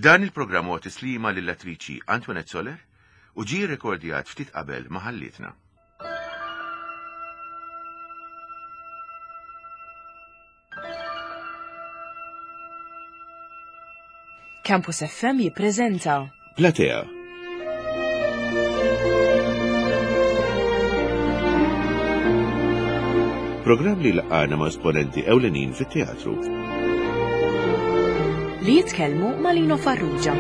Dan il-programm huwa tislima lill-attriċi Antoinette Soler u ġie rrekordjat ftit qabel ma ħallietna. Campus FM jippreżenta Platea. Programm li laqgħana ma' esponenti ewlenin fit-teatru. Li jitkellmu ma' Lino Farrugia.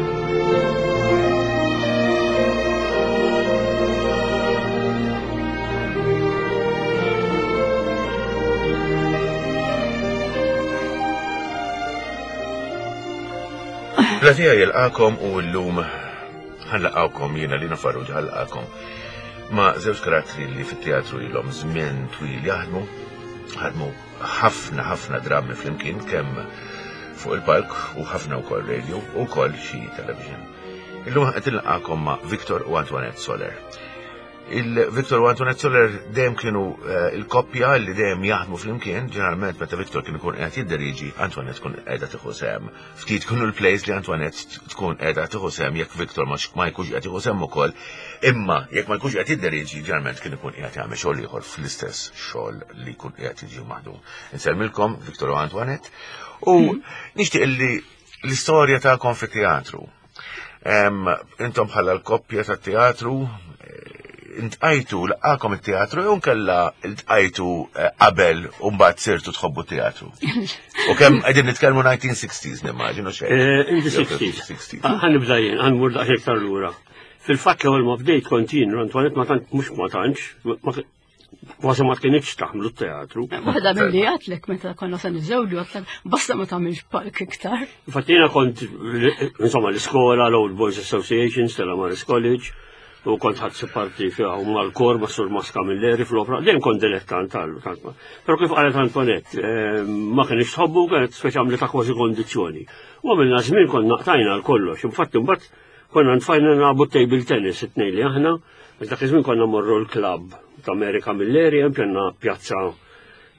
Platea jilqakom u llum ħanlaqgħukom jiena Lino Farrugia ħanlaqgħakom ma' żewġ karattri li fit-teatru ilhom żmien twil jaħdmu, ħadmu ħafna ħafna drammi flimkien kemm fuq il-palk u ħafna wkoll radio u wkoll xi television. Illum qed nilqakom ma' Victor u Antoinette Soler. Il-Victor u Antoinette Soler dejjem kienu eh, il-koppja li dejjem jaħdmu flimkien, ġeneralment meta Victor kien ikun qed jidderiġi, Antoinette tkun qiegħda tieħu sehem. Ftit kienu l-plays li Antoinette tkun qiegħda tieħu sehem jekk Victor ma jkunx qed jieħu sehem ukoll, imma jekk ma jkunx qed jidderiġi, ġeneralment kien ikun qiegħed jagħmel xogħol ieħor fl-istess xogħol li jkun qiegħed jiġi maħdum. Insellmilkom Victor u Antoinette u nixtieq li l-istorja tagħkom fit-teatru Intom bħala l-koppja ta' teatru, eh, intqajtu laqakom it-teatru jew nkella ltqajtu eh, qabel u mbagħad sirtu tħobbu teatru. U kemm qegħdin nitkellmu 1960s nimmaġinu xejn. Eh, in the 60s. Ah, ħa nibda jien, ħa nmur daqsxejn iktar lura. Fil-fatt l-ewwel ma bdejt kont jien, Antoinette ma tant mhux ma tantx, Kważi ma kienx taħmlu t-teatru. Waħda mill-li għatlek meta konna se niżewġu għatlek basta ma tagħmilx palk iktar. Infatti jiena kont insomma l-iskola, l-Old Boys Association, Stella Maris College, u kont ħadd parti fiha u mal-kor ma' Sur Maska Milleri fl-opra, dejjem kont dilettant tal Però kif qalet Antoinette, eh, ma kienx tħobbu, kienet speċi għamlet ta' kważi kondizzjoni. U għamilna żmien kont naqtajna l-kollox, infatti mbagħad Konna nfajna nagħbu table tennis it-tnejn li aħna, għax dak iż-żmien konna morru l-klabb ta' Mary Camilleri, hemm kellna pjazza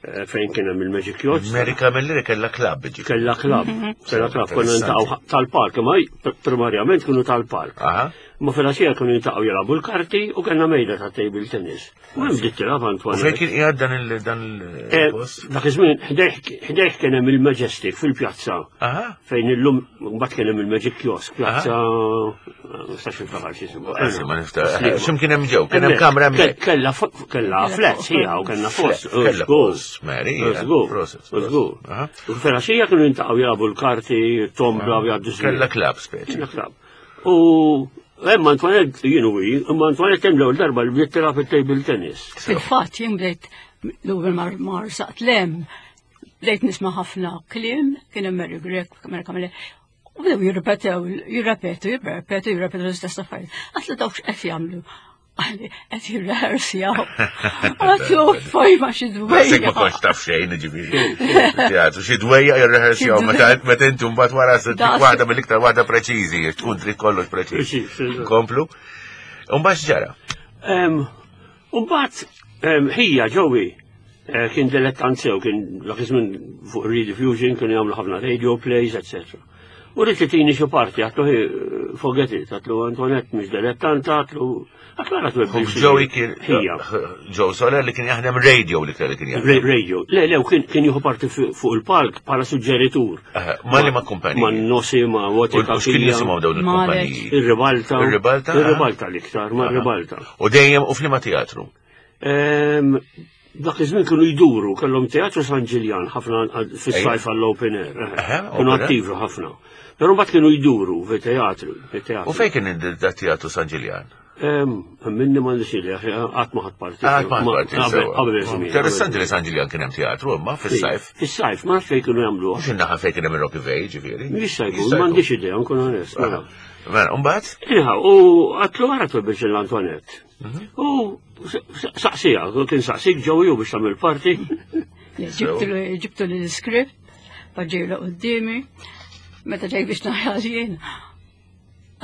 eh, fejn kien hemm il-Magic Yachts. Mary Camilleri kellha klabb ġifieri. Kellha klabb, mhm. kellha klabb, konna nintaqgħu tal-park, imma primarjament kienu tal-park. Ma filgħaxija kienu jintaqgħu jilagħbu l-karti u kellna mejda ta' table tennis. U hemm bdiet tilgħab Antoine. U fejn kien qiegħed dan il dan il-post? Eh, dak iż-żmien ħdejh kien hemm il-Majestic fil-pjazza. Fejn illum mbagħad kien hemm il-Magic Kiosk, pjazza ma nistax niftakar xi ismu. Eh, ma niftakar. Eh, x'im kien hemm ġew, kien hemm kamra hemmhekk. Kellha kellha flats hija u kellna fost. Kellha post, Mary. Żgur. Żgur. U filgħaxija kienu jintaqgħu jilagħbu l-karti, tombla u jgħaddu. Kellha klabb speċi. Kellha klabb. U hemm Antoinette jien u hi, imma Antoinette hemm l-ewwel darba li bdiet tilgħab it-table tennis. Fil-fatt jien bdejt l-ewwel mar saqt lem, bdejt nisma' ħafna kliem, kien hemm Mary Grek, Mary Kamile, u bdew jirripetew, jirrepetu, jirrepetu, jirrepetu l-istess affarijiet. Għatlu dawk x'qed jagħmlu. Għalli, qed jirrehersjaw. Għatlu, foj ma xi dwejja. Sek ma kontx taf xejn, ġifieri. Teatru, xi dwejja jirrehersjaw meta meta inti mbagħad wara se waħda mill-iktar waħda preċiżi, tkun trid kollox preċiż. Komplu. U mbagħad x'ġara? Mbagħad ħija ġowi eh, kien dilettant sew, kien dak iż-żmien fuq Rediffusion kienu jagħmlu ħafna radio plays, etc. U rrid li tini xi parti, għatlu hi, forget it, għatlu Antoinette mhix dilettanta, għatlu għatlu għara tweb. Joey kien ħija. Joe Soler li kien jaħdem radio li kien kien jaħdem. Radio. Le, le, kien jieħu parti fuq il-palk bħala suġġeritur. Ma li ma kumpaniji. Ma Nosi, ma Wotika. U x'kien jisimgħu dawn il-kumpaniji? Ir-ribalta. Ir-ribalta? Ir-ribalta l-iktar, ma r-ribalta. U dejjem u f'liema teatru? Dak iż-żmien kienu jduru, kellhom teatru San Ġiljan ħafna fis-sajf għall-open air. Kienu attivi ħafna. Però mbagħad kienu jduru fit-teatru. U fejn kien dat teatru San Ġiljan? Minni ma nix idea, qatt ma ħadd parti. Qatt ma ħadd parti. Interessanti li San Ġiljan kien hemm teatru imma fis-sajf. Fis-sajf, ma nafx fejn kienu jagħmluh. Mhux in-naħa fejn kien hemm ir-Rocky Vej, ġifieri. Jista' jkun, m'għandix idea, nkun onest. Mela, mela mbagħad? Iħa, u għatlu għara biex l-Antoinette. Mhm. U saqsija, kien saqsik ġew ju biex tagħmel parti. Ġibtu l-iskript, paġġejlu qudiemi, meta ġej biex naħjar jien.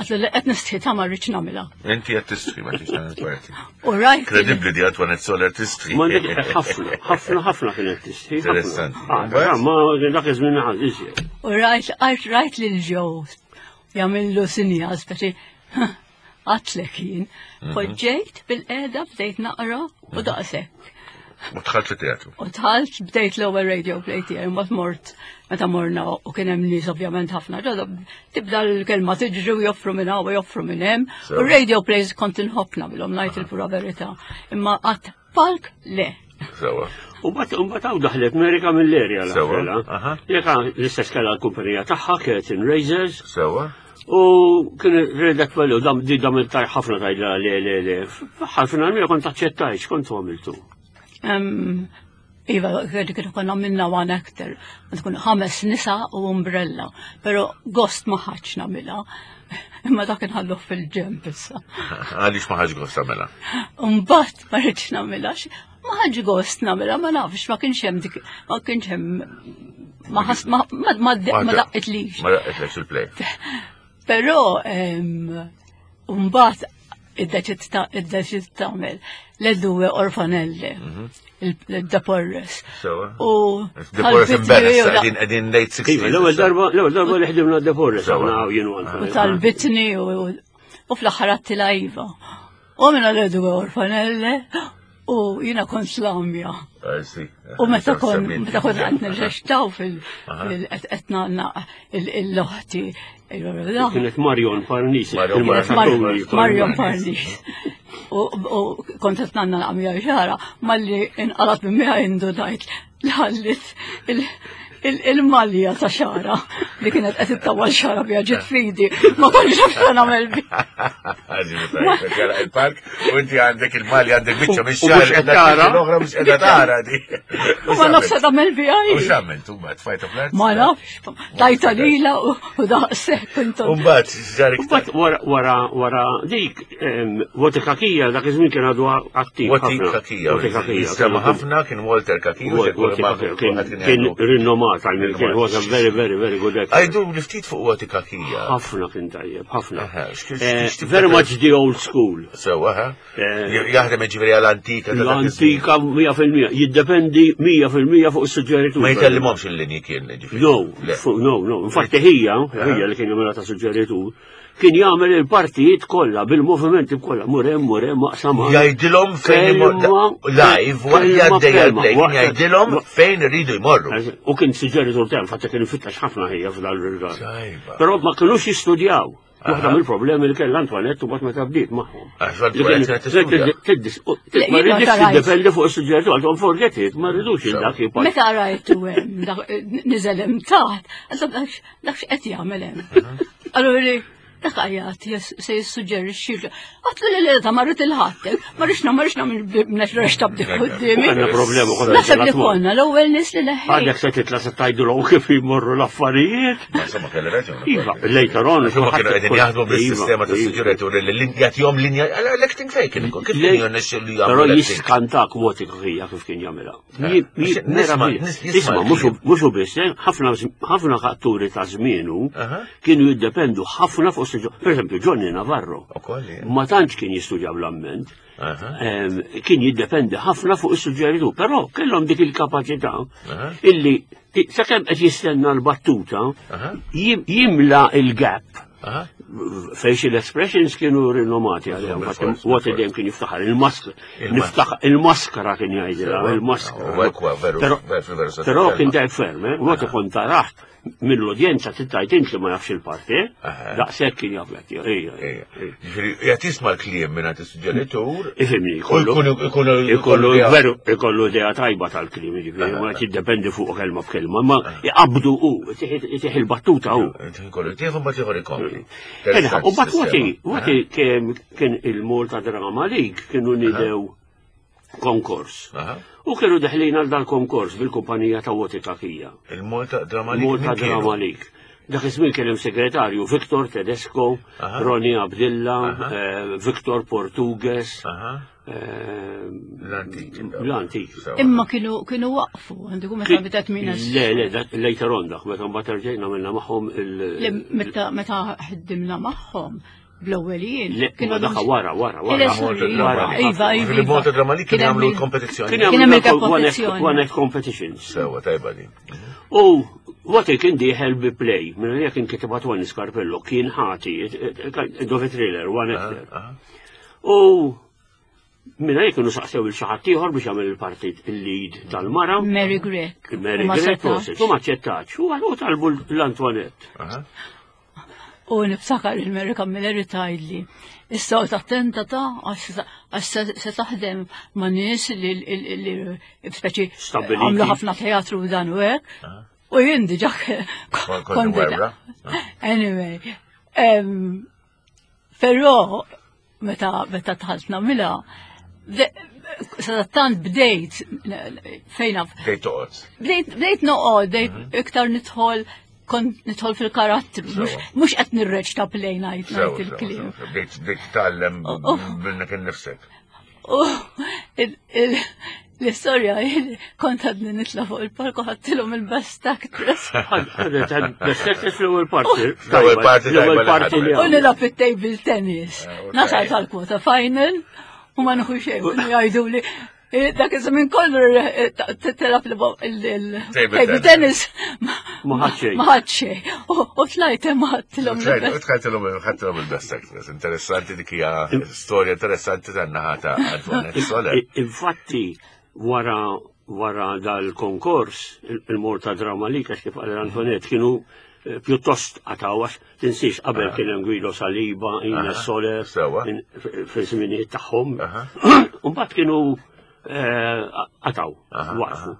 Għatlu li qed nistħi ta' ma rridx nagħmilha. Inti qed tistħi ma tix tagħmel parti. U rajt. Kredibbli di Antoinette Soler tistħi. Ma ħafna, ħafna ħafna kienet tistħi. Interessanti. Ah, ma dak iż-żmien ħadd iżjed. U rajt rajt lil ġew. jagħmillu sinjal speċi għatlek jien. Poġġejt bil-qeda bdejt naqra u daqshekk. U dħalt fit-teatru. U dħalt bdejt l-ewwel radio play tiegħi mbagħad mort meta morna u kien hemm nies ovvjament ħafna ġodda tibda l-kelma tiġri u joffru minn hawn u joffru minn hemm. U radio plays kont inħobb nagħmilhom ngħid il-pura verità. Imma qatt palk le. Sewa. U bat hawn daħlet Mary Camilleri għal Sewa, kella. aha. Jekk l-istess kellha l-kumpanija tagħha Curtain Raisers Sewa. u kien redak valju dam di dam il-taj ħafna tajdla le le le. Fl-aħħar finalment kont aċċettajt kont għamiltu. Em, Iva, kien konna minna one actor, tkun ħames nisa u umbrella, pero gost ma ħadx nagħmilha. Imma dak inħalluh fil-ġemp issa. Għaliex ma ħax gost tagħmilha. Mbagħad ma rridx nagħmilha, ma ħadx gost nagħmilha, ma nafx, ma kienx hemm dik, ma kienx hemm ma ħass ma ma ma ma daqqitlix. Ma daqqitlekx il-play. Però mbagħad iddeċidt tagħmel le due orfanelle, il-De Porres. Sewa. U The Porres talbitni embarrassed, u da- qegħdin qegħdin late 60s. Iva, l-ewwel darba l-ewwel darba li ħdimna De Porres Sewa. aħna hawn jien u u Anthony. talbitni u u fl-aħħar għattila iva. U minna le due orfanelle u jina kont lamja. I see. U meta kon, Semmin. meta kon qed nirrextaw fil qed qed l-oħti. Kienet Marion Parnis. Marion il-mara ta' Parnis. Tony Marion Parnis. U u kont qed nanna naqmija xara, malli inqalat minn miha indu ngħid li ħallit il- il- il-malja ta' xara li kienet qed ittawal xara biha ġiet fidi, ma kontx naf x'se nagħmel biha. Għaġi, tajba, ġara il-park, u inti għandek il-mali għandek biċċa U mix mhux qed tara. L-oħra mhux qiegħda tara di. U ma nafx se tagħmel biha U hi. x'għamilt, u mbagħad fight of life? Ma nafx, tajta lila u u daqshekk U intom. mbagħad ġara U bat wara wara wara dik Woti Kakija dak iż-żmien kien għadu attiv. Wati ħafna. Kakija. Woti Kakija. Jistema ħafna kien Walter Kakija. u xekk Woti ma- Kakija kien kulħadd kien jgħidu. rinnomat għal min kien was a very very very good actor. Għajdu li ftit fuq Wati Kakija. Ħafna kien tajjeb, ħafna. Aha, x'kien- Eh, x'tibda Very ta- much the old school. Sewa, ha? Eh, Jaħdem ġifieri għall-antika. ta' dak iż-żmien. L-antika 100%, jiddependi 100% fuq is-suġġeritur. Ma jkellimhomx il-linji kien ġifieri. No, Le. no, no. Infatti ħija, ħija li kien jagħmilha ta' suġġeritur, kien jagħmel il-partijiet kollha bil-movimenti kollha, murem, murem, maqsam. Jgħidilhom fejn imor- Kelma- live waqt kelma jgħaddej b'kelma, għal-play, kien waqt- jgħidilhom fejn iridu jmorru. U kien suġġeritur tem, fatta kien ifittax ħafna ħija f'dan il-rigard. Tajba. Però ma kinux jistudjaw. Waħda mill-problemi li kellha Antoinette u bat meta bdiet magħhom. Għax Antoinette kienet tistudja. Le, Ma jiena rridux tarajt. tiddependi fuq is-suġġeritur, għal forget it, ma rridux il-dak jibqa' Meta rajtu hemm, dak- niżel hemm taħt, għalhom dak dak x'qed jagħmel hemm. Allura dak għajat se jissuġġerixxi. Għatlu li li ta' marrit il-ħattek, ma rridx ma rridx nagħmel b'nex tabdi qudiemi. Għandna problema konna Naħseb li ġelat konna l-ewwel nies li leħħej. Għadek se titla se tgħidulhom kif jmorru l-affarijiet. Ma insomma kelli raġun. Iva, later on. Huma kienu qegħdin jaħdmu bis-sistema Iva, ta' suġġeritur li jagħtihom linja l-acting fej kien ikun. Kif kien jirnexxi li Però jagħmlu l-acting? jiskantak Woti Kakija kif kien jagħmilha. Eh, nisma' nisma' Isma' mhux biss, eh, ħafna ħafna atturi ta' żmienu Aha. kienu jiddependu ħafna fuq suġġ. Per eżempju, Johnny Navarro. Ukoll, eh. Ma tantx kien jistudja bl-amment. Aha. Kien jiddependi ħafna fuq is-suġġeritur, però kellhom dik il-kapaċità Aha. illi sakemm qed jistenna l-battuta Aha. jimla il-gap Aha. Facial expressions kienu rinomati għalihom, Bil-fors, Wati bil-fors. dejjem kien jiftaħar il-maskra, Il-maskra. niftaħ il-maskra kien jgħidilha, il-maskra. U hekk huwa veru- Però- veru fil-veru sens Però tal-kelma. kien dejjem ferm, eh? Wati kont taraħt mill-udjenza tittajt int li ma jafx il-parti, eh? Aha. daqshekk kien jaf jagħti, ejja, Ejja. ejja. Ġifieri qed jisma' l-kliem minn għand is-suġġeritur. Ifimni, U jkunu jkunu ikollu veru, ikollu idea tajba tal-klim, ġifieri, ma jiddependi fuq kelma b'kelma, ma jqabdu u, itih il-battuta u. Kollu tieħu mbagħad ieħor ikompli. Eħna, u bat wati, wati kien il-Malta Drama League kienu nidew konkors. Aha. U kienu deħlin għal dal-konkors bil-kumpanija ta' Woti Kakija. Il-Malta Drama League. Malta min kienu? Drama League. Dak iż-żmien kien hemm segretarju Victor Tedesco, Aha. Ronnie Abdilla, Aha. eh, Victor Portugues, Aha. eh, L-antik. L-antik. Sewa. Imma kienu kienu waqfu, għandu meta bidet min Le, le, dak- later on dak, meta mbagħad rġejna minna magħhom il- Li meta meta ħdimna magħhom bl-ewwel jien. Le, ma daħħa wara, wara, wara. Le, Malta sorry, Drama iva, League. Iva, iva. Fil-Malta Drama League kienu Kien hemm jagħmlu il- l-kompetizzjoni. Kien Kien hemm jagħmlu il-kompetizzjoni. one act competitions. Sewa, tajba di. U Wati kien dieħel bi play, minn li kien kitibha Tony Scarpello, kien ħati, Dove Thriller, one actor. U minna jek kienu saqsew il xi ħadd ieħor biex jagħmel il-partit il-lead tal-mara. Mary Grech. Mary Grech, u ma ċettax, u talbu l-Antoinette. U niftakar il-Mary Camilleri tgħidli, issa u attenta ta' għax se taħdem ma' nies li speċi għamlu ħafna teatru u dan u hekk. U jien diġà kont Anyway, però meta meta dħalt nagħmilha, sadattant bdejt fejna. Bdejt toqgħod. Bdejt noqgħod, bdejt mhm. iktar nidħol kont nidħol fil-karattru, mhux qed nirreċta play ngħid ngħid il-kliem. Bdejt bdejt tgħallem oh, oh. minnek innifsek. U l-istorja kont għadni nitla fuq il-palku ħadtilhom il-best actress. Best actress fl-ewwel parti. L-ewwel parti. L-ewwel parti li. U nilgħab it-table tennis. Eh, Nasal tal-kwota final u ma nħu xejn jgħidu li eh, dak iż-żmien kollu eh, tilab il-table tennis. Ma ħadd xejn. Ma ħadd xejn. U tlajt hemm ħadtilhom. Ħadtilhom ħadtilhom il-best actress. Interessanti dik hija storja interessanti tan-naħa ta' Antoinette Soler. Infatti wara wara dal-konkors il-Malta Drama League għax kif qal Antoinette kienu eh, pjuttost qataw għax tinsiex qabel kien hemm Guido Saliba, Ines Soler, fi żminijiet tagħhom. U mbagħad kienu eh, qataw, waqfu.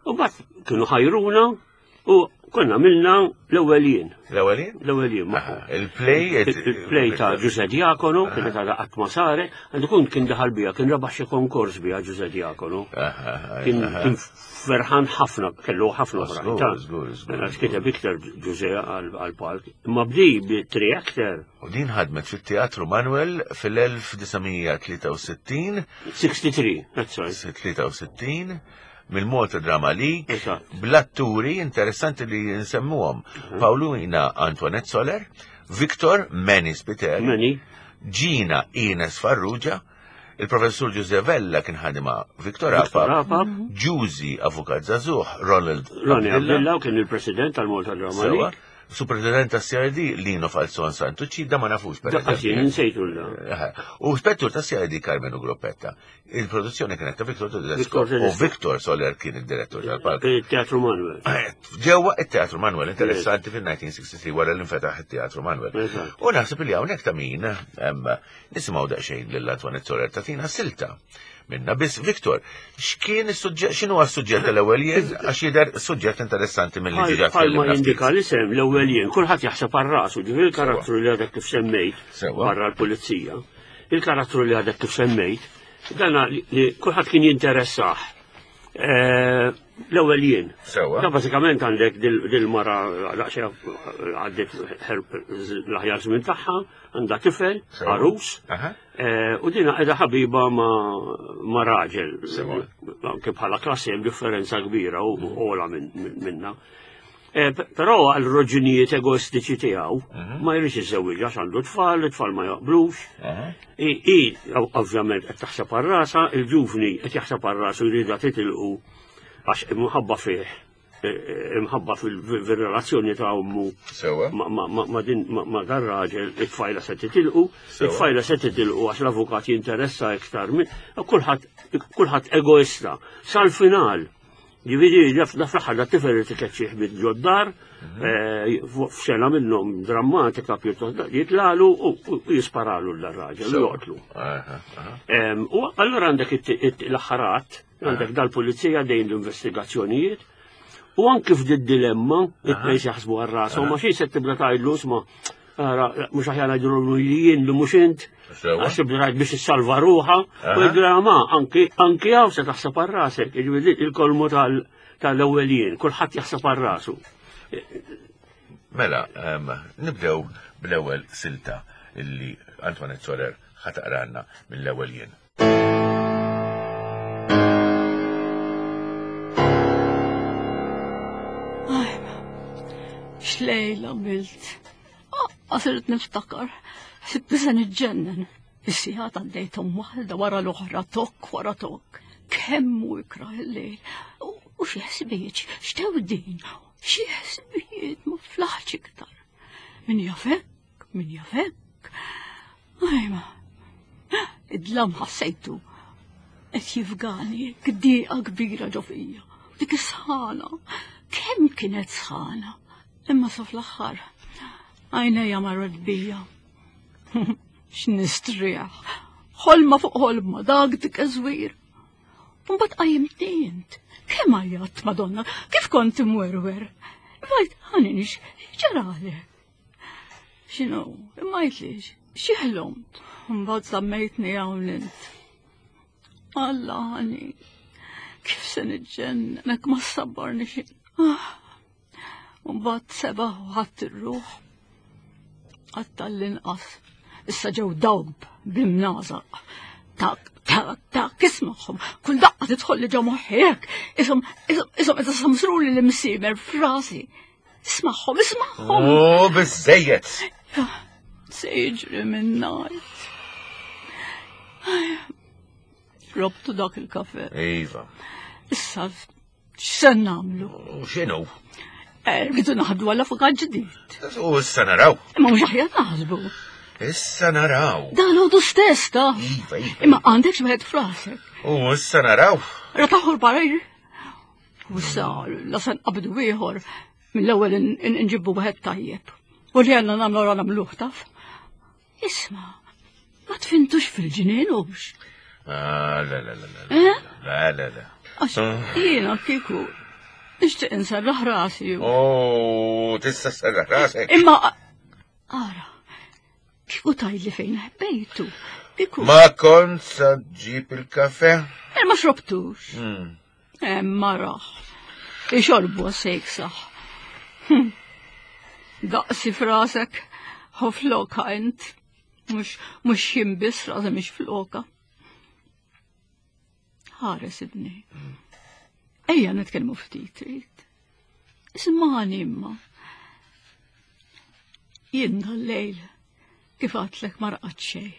U mbagħad kienu ħajruna u konna minna l-ewwel jien. L-ewwel jien? L-ewwel jien Il-play il-play ta' Ġuże Diakono, kienet għadha qatt ma saret, għandu kun kien daħal bija, kien rebaħ xi konkors bija Ġuże Diakono. Kien ferħan ħafna, kellu ħafna oħrajn. Għax kiteb iktar Ġuże għal-palk. Imma bdi bi tri actor. U din ħadmet fit-Teatru Manuel fil-1963. 63, that's right. 63 mill-Malta Drama League, bl-atturi interessanti li nsemmuhom. Mhm. Paulina Antoinette Soler, Victor Manny Spiteri, Manny. Gina Ines Farrugia, il-professur Giuseppe Vella kien ħadima Victor Apap, Giusi Avukat Zazuh, Ronald Ronnie Abdilla kien il-president tal-Malta Drama League. Su president ta' CID Lino Falzon Santucci, da ma nafux per eżempju. Nsejtu l U spettur ta' CID Carmenu Groppetta. Il-produzzjoni kienet ta' Victor Tedesco u Victor Soler kien id-direttur tal-palk. Il-Teatru Manuel. Eh, ġewwa it-Teatru Manuel, interessanti fil-1963 wara li nfetaħ it-Teatru Manuel. U naħseb li hawnhekk ta' min nisimgħu daqsxejn lil Antoinette Soler tatina silta minna biss Victor, x'kien is-suġġett x'inhu s-suġġett tal-ewwel jien għax jidher suġġett interessanti milli diġà tkellimna. Ma jindika l-isem l-ewwel jien, kulħadd jaħseb għal rasu, ġifieri il-karattru li għadek kif semmejt barra l-pulizija. Il-karattru li għadek kif semmejt, dana li kulħadd kien jinteressah. Eh, l-ewwel jien. Sewa. Da bażikament għandek dil-mara daqsxejn għaddiet l-aħjar żmien tagħha, għandha tifel, għarus, eh, u dina qiegħda ħabiba ma' raġel. Anke bħala klassi hemm differenza kbira u ola minna. Eh, però għal roġinijiet egoistiċi tiegħu mhm. ma jridx iżewwiġ għax għandu tfal, it-tfal ma jaqblux. I ovvjament qed taħseb għal rasa, il-ġuvni qed jaħseb għal rasu jridha titilqu għax imħabba fih eh, eh, imħabba fil-relazzjoni ta' ommu ma' din ma' dan raġel it-tfajla se titilqu, it-tfajla se titilqu għax l-avukat jinteressa iktar minn kulħadd kulħadd egoista sal-final. Ġifieri da fl-aħħar da tifel irid ikeċċih minn ġod-dar, mhm. eh, f'xena minnhom drammatika pjuttost jitlalu u jisparalu l-raġel u joqtlu. U allura għandek l-aħħarat, għandek dal-pulizija dejn l-investigazzjonijiet, u anki f'did dilemma, it-tnejn jaħsbu għar-rashom, ma xi se tibda tgħidlu isma' Ara, mhux aħjar ngħidulu li jien li mhux int. Għax tibda tgħid biex issalva ruħha, u jgħidilha ma anki anki hawn se taħseb għal rasek, jiġifieri il-kolmu tal-ewwel jien, kulħadd jaħseb għal rasu. Mela, nibdew bl-ewwel silta illi Antoinette Soler ħataqranna mill-ewwel jien. X'lejl għamilt. Għasirt niftakar, ħsibt se niġġennen. Is-sigħat għaddejthom waħda wara l-oħra, tokk wara tokk. Kemm hu ikrah il-lejl. U xi ħsibijiet, x'tewdin. Xi ħsibijiet ma flaħx iktar. Min jafek, min jafek. Ajma, id-dlam ħassejtu qed jifgani gdieqa kbira ġo fija. Dik is-sħana, kemm kienet sħana. Imma sa fl-aħħar, għajnejja marret bija. X'nistrieħ. Ħolma fuq ħolma, dak dik iżwir. Mbagħad qajjimtni int. Kemm għajjatt, Madonna, kif kont imwerwer. Imma għidt, ħaninix, ġaralek. X'inhu, imma għidtlix, xi ħlomt. Mbagħad żammejtni hawn int. Alla ħani, kif se niġġennek ma sabbarni xi. Ah. Mbagħad sebaħ u ħadd ir-ruħ. Għadd tal-inqas. Issa ġew dawb bl-imnażaq. Tak, tak, tak, ismagħhom. Kull daqqa tidħol li ġo moħħi hekk. Ishom, ishom qed isamsruli l-imsiemer f'rasi. Ismagħhom, ismagħhom. Oh, biżejjed. Se jiġri minn ngħid. Robtu dak il-kafe. Iva. Issa X'se nagħmlu? U x'inhu? Eh, rridu naħdu għal avukat ġdid. U issa naraw. Imma mhux aħjar naħsbu. Issa naraw. Dan għodu stess ta' Iva, iva. Imma għandek xi wieħed frasek. U issa naraw. Ra taħor parir. U issa la se nqabdu ieħor mill-ewwel inġibbu wieħed tajjeb. U li għandna nagħmlu ra nagħmluh taf. Isma, ma tfintux fil-ġnien hux. Ah, la, la, la, la. Eh? La, la, la. Għax ah. jiena kieku nixtieq inserraħ rasi. Oh, tista' serraħ rasek. Imma ara, kieku tajli fejn ħbejtu. Kieku. Ma kont sa ġib il-kafe? Eh, ma xrobtux. Eh, ma raħ. Ixorbu sejk saħ. Daqsi frasek, hu floka int. Mux, mux jien biss rasi mhix floka. Ħares ibni. Ejja nitkellmu ftit trid. Ismani imma. Jien dal-lejl kif għatlek ma raqad xejn.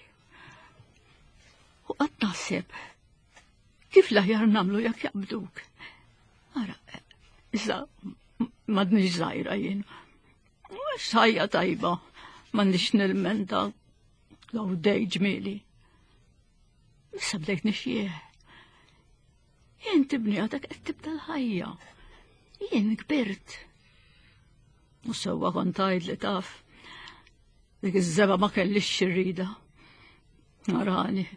U qatt naħseb Kif l-aħjar namlu jekk jaqbduk? Ara, issa m'għadniex żgħira jien. Mhux ħajja tajba, m'għandix nilmenta law dej ġmieli. Issa bdejt nixjieħ. Jien tibni għadek qed tibda l-ħajja. Jien kbirt. U sewwa kont tgħid li taf. Dik iż-żeba ma kellix xirrida. Narani,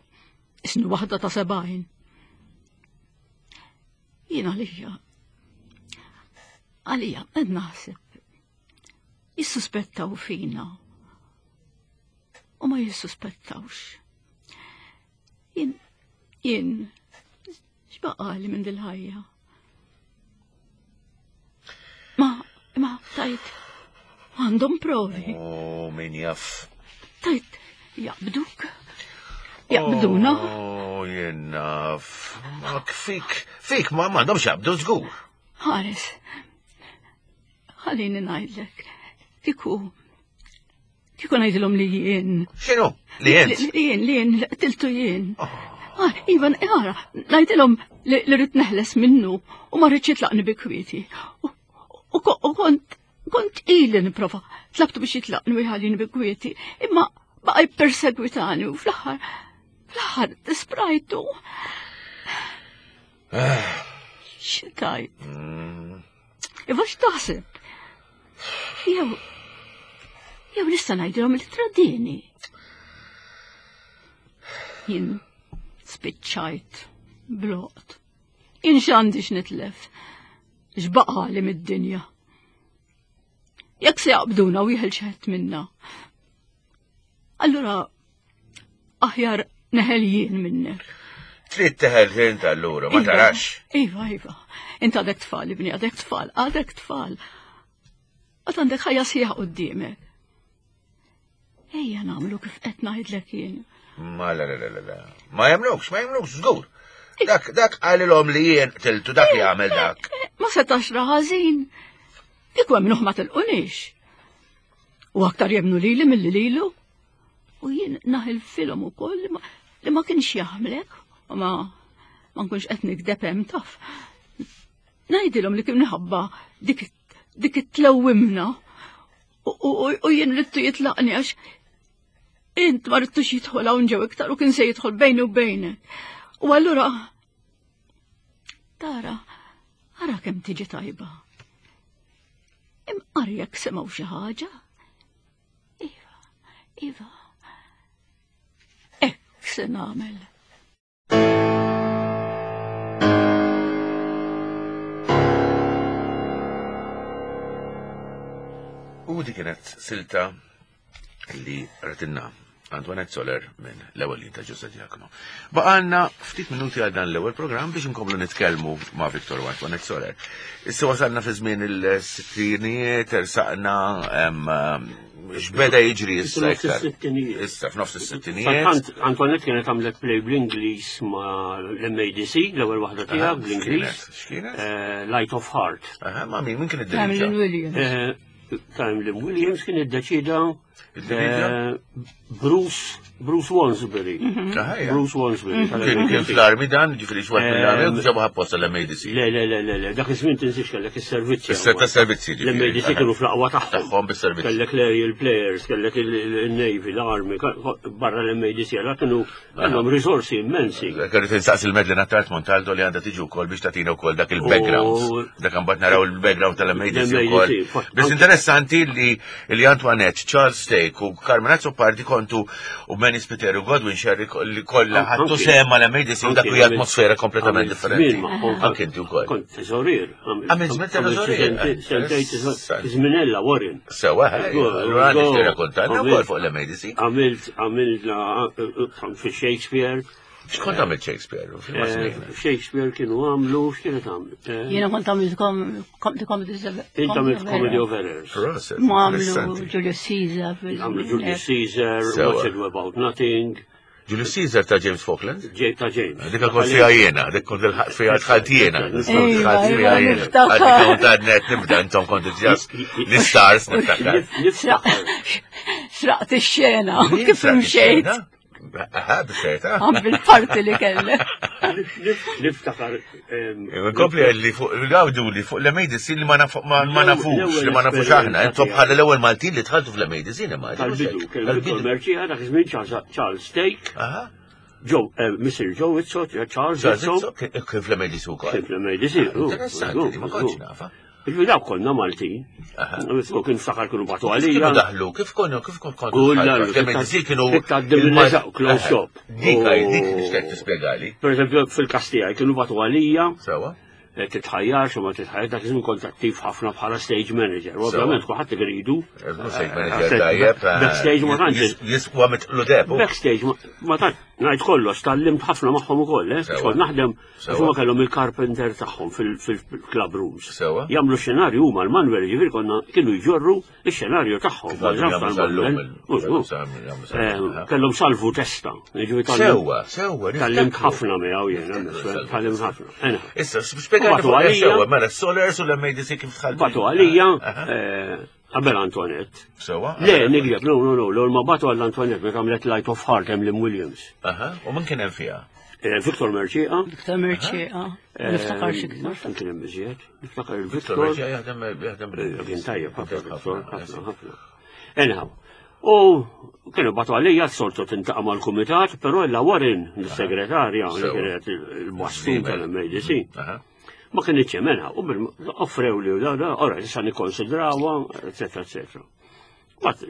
isni waħda ta' 70. Jien għalija, għalija, qed naħseb, jissuspettaw fina u ma jissuspettawx. Jien, jien, x'baqali minn dil-ħajja? Ma, ma, tajt, għandhom provi. Oh, min jaf. Tajt, jaqbduk. Jaqbduna. Oh, jien naf. Ma fik, fik ma m'għandhomx jaqbdu żgur. Ħares. Ħallini ngħidlek. Kiku, Kieku ngħidilhom li jien. X'inhu? Li jien? Li jien, li jien, li qtiltu jien. Oh. Ah, Ivan, ara, ngħidilhom li rrid neħles minnu u ma rridx jitlaqni bi kwieti. U kont kont ili nipprova, tlabtu biex jitlaqni u jħallini bi kwieti, imma baqa' jippersegwitani u fl-aħħar fl-aħħar disprajtu. Ah. Xi tajt? Mm. Iva x'taħseb? Jew jew nista' ngħidilhom li tradini. Jien spiċċajt bloqt. Jien x'għandi x'nitlef. X'baqali mid-dinja. Jekk se jaqbduna u jeħel xi minna. Allura aħjar neħel jien minnek. Trid teħel int allura, ma Iva, tarax. Iva, iva. Int għadek tfal, ibni, għadek tfal, għadek tfal. Għad għandek ħajja sħiħa quddiemek. Ejja nagħmlu kif qed ngħidlek jien. Ma la la la la la. Ma jemnukx, ma jemnukx, żgur. Dak, dak qalilhom li jien qtiltu dak li għamel dak. Eh, ma setax raħażin. Kieku hemmnuh ma tilqunix. U aktar jemnu lili milli lilu. U jien naħilfilhom ukoll li ma kienx jaħmlek u ma ma nkunx qed nikdeb hemm taf. Ngħidilhom li kien minħabba dik Dik it-tlewwimna u jien ridtu jitlaqni għax int ma ridtux jidħol hawn ġew iktar u kien se jidħol bejni u bejnek. U allura tara, ara kemm tiġi tajba. Imqar jekk semgħu xi ħaġa. Iva, iva. Hekk se nagħmel. U di kienet silta li ratinna Antoinette Soler minn l-ewwel ta' Ġusa Giacomo. Baqalna ftit minuti għal dan l-ewwel programm biex inkomplu nitkellmu ma' Victor u Antoinette Soler. Issa wasalna fi żmien il-sittinijiet, ersaqna x'beda jiġri issa iktar. Issa f'nofs is-sittinijiet. Antoinette kienet għamlet play bl-Ingliż ma' l-MADC, l-ewwel waħda tiegħek bl-Ingliż. X'kienet? Eh, Light of Heart. Ma' min min kien id-dirigent? Williams. Eh, Tamlin Williams kien iddeċida eh, Bruce Bruce Wansbury. Mhm. Bruce Wansbury. Mhm. Kien fl-armi dan, ġifiri xwat mill-armi, u ġabu ħapposta l-MADC. Le, le, le, le, le, dak iż-żmien tinsiex kellek is-servizzi. Is-setta servizzi. L-MADC kienu fl-aqwa tagħhom. Tagħhom bis-servizzi. Kellek l-aerial players, kellek il-Navy, l-Army, barra l-MADC, għalla kienu Għandhom risorsi immensi. Kelli tinsaqs il-Medlin Attard Montaldo li għandha tiġi wkoll biex tagħtina wkoll dak il-background. Dak imbagħad naraw il-background tal-MADC wkoll. Biss interessanti li li Antoinette, Charles Stake u Carmen Azzopardi kontu u Manny Spiteri u Godwin Sherry li kollha ħadtu sehem mal-MADC u dak hija atmosfera kompletament differenti. Anke inti wkoll. Kont teżorier. Għamilt żmien teżorier. Sentejn żminella Warren. Sewa, allura għandek tirrakontanna wkoll fuq l-MADC. Għamilt, għamilna fi Shakespeare. X'kont għamilt Shakespeare? Eh, Shakespeare kienu għamlu, x'kienet għamlu? Eh, Jiena kont għamilt comedy Int għamilt Comedy of Errors. Ma għamlu Julius Caesar. Għamlu Julius Caesar, What You Do About Nothing. Julius Caesar ta' James Falkland? Ġej ta' James. Dik kont fiha jiena, dik kont il-ħaq fiha dħalt jiena. Dħalt fiha jiena. Għaddi kont għadnet nibda intom kont ġas l-stars niftakar. Sraqt ix-xena, kif imxejt. Aha, b'xejta. Għam bil-parti li kelli. Niftakar. Kompli li fuq għawdu li fuq l-MADC li ma nafux, li ma nafux aħna. Intom bħala l-ewwel Maltin li tħaltu fl-MADC, ma Tal-bidu, kellu merċija dak iż-żmien Charles Stake. Joe, eh, Mr. Joe Izzo, Charles Izzo. Kien fl-MADC ukoll. Kien fl-MADC. Interessanti, ma kontx nafa. Ġifieri dawk konna Maltin. U kien ftakar kienu batu għalija. Kienu daħlu, kif konna, kif kont kont. Kemm kienu. Close shop. Dik dik nixtieq tispjegali. Per eżempju, fil-Kastija kienu batu għalija. Sewa. Eh, titħajjarx u ma titħajjar, dak iż-żmien kont attiv ħafna bħala stage manager. U ovvjament kulħadd iridu. Eh, stage manager tajjeb. Eh, backstage ma tantx. Jiswa mitqlu debu. Backstage ma tantx. Ngħid kollox, tallimt ħafna magħhom ukoll, eh. Kont naħdem Għax huma kellhom il-carpenter tagħhom fil-club rooms. Sewa. Jagħmlu xenarju huma l-Manuel, ġifieri konna kienu jġorru x-xenarju tagħhom. Eh, kellhom salvu testa. Sewa, sewa. Tallimt ħafna miegħu jiena, tallimt ħafna. Issa, spjegati fuq sewa, mela s-Solers u l-MADC kif tħallu. Batu għalija, eh, qabel Antoinette. Sewa? Le, nigdeb, no, no, no, l ma batu għall Antoinette meta għamlet Light of Heart Emlyn Williams. Aha, u minn kien hemm fiha? Eh, Victor Merċieqa. Victor Merċieqa. Eh, niftakar xi kien. Ma kien hemm iżjed. Niftakar il-Victor. Merċieqa jaħdem jaħdem eh, Kien tajjeb ħafna Victor, ħafna ħafna. Anyhow, u kienu batu għalija s-soltu tintaqa' mal-kumitat, però illa Warren, il-segretarja, li kienet il-bastun tal-MADC. Ma kien iċċemenha, u offrew li da, da, ora, issa nikkonsidrawha, eccetera, eccetera. Bat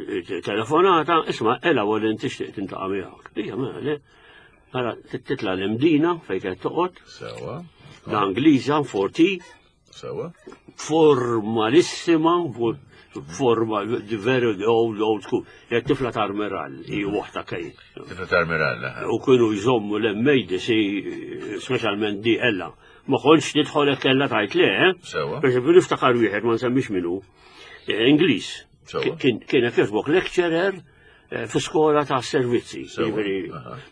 telefonata, isma' ela Warren tixtieq tintaqa' miegħek. Ija, mela, le. Mela, titla l-imdina fejn qed toqgħod. Sewa. Da Ingliża, 40. Sewa. Formalissima, forma, very old, old school. Jek tifla ta' armeral, hi waħda kej. Tifla ta' armeral, U kienu jżommu l-MADC, specialment di Ella. Ma kontx nidħol hekk Ella tajt le, eh? Sewa. Per esempio, niftakar wieħed ma nsemmix minnu, eh, Ingliż. Kien qed jogħġbok lecturer eh, fi skola ta' servizzi.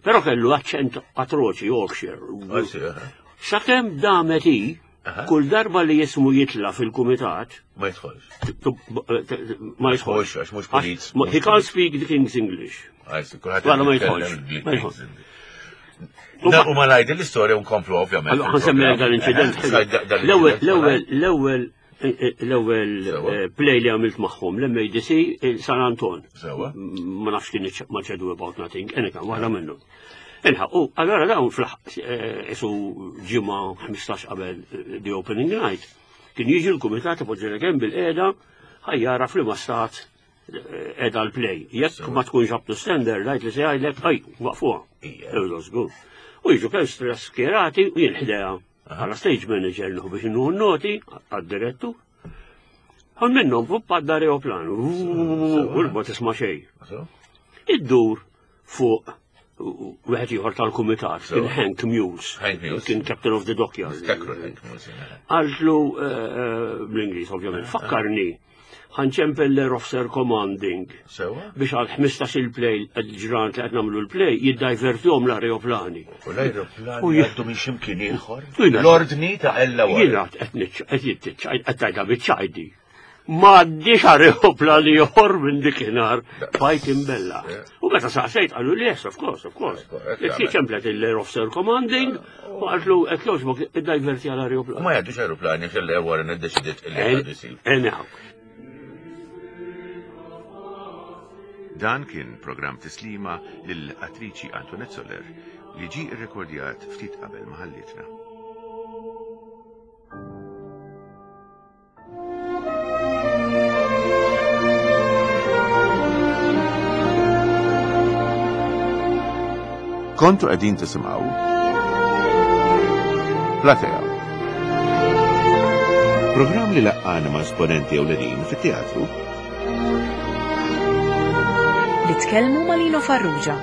Però kellu aċċent atroċi Yorkshire. Sakemm damet hi, kull darba li jismu jitla fil-kumitat. Ma jidħolx. Ma jidħolx. Għax mhux pulit. He can't speak the King's English. Għala ma jidħolx. Ma jidħolx. U ma ngħid l-istorja nkomplu ovvjament. Għansemmi dan l-inċident. L-ewwel, l-ewwel, l-ewwel. L-ewwel play li għamilt magħhom l-MADC San Anton. Ma nafx kien ma ċedu about nothing, enika waħda minnhom. Inħa, u allora dawn fl-isu ġimgħa 15 qabel the opening night, kien jiġi l-kumitat ipoġġi kemm bil-qiegħda ħajjara fl stat qiegħda l-play. Jekk ma tkunx up to standard, rajt li se jgħidlek, aj, waqfuha. U jiġu kemm stress skjerati u jien ħdejha. Bħala stage manager nħu biex nħu noti għad-direttur. Għan minnom fuq padda aeroplan, u l-bot tisma xej. Iddur fuq wieħed ieħor tal-kumitat, kien Hank Muse, kien Captain of the Dockyard. Għaltlu eh, eh, bl-Ingliż ovvjament, fakkarni ħanċempel l-Air Officer Commanding biex għal 15 il-play ġrant li qed nagħmlu l-play jiddajvertihom l-aeroplani. U l-aeroplani jgħaddu minn x'imkien ieħor. L-ordni ta' Ella Jiena qed qed jittiċċ qed tgħidha biċ-ċajdi. M'għaddix aeroplani ieħor minn dikinhar bajt imbella. U meta saqsejt qalu li yes, of course, of course. Ċemplet il-Air Officer Commanding u qaltlu qed jogħġbok iddajverti għal aeroplan. Ma jgħaddux aeroplani għax l-Air Warren iddeċidiet li għandu jsir. Anyhow. Dan kien programm tislima lil attriċi Antoinette Soler li ġie rrekordjat ftit qabel ma ħallietna. Kontu qegħdin tisimgħu Platea. Programm li laqqana ma' esponenti ewlenin fit-teatru. Li tkellmu ma' Lino Farrugia.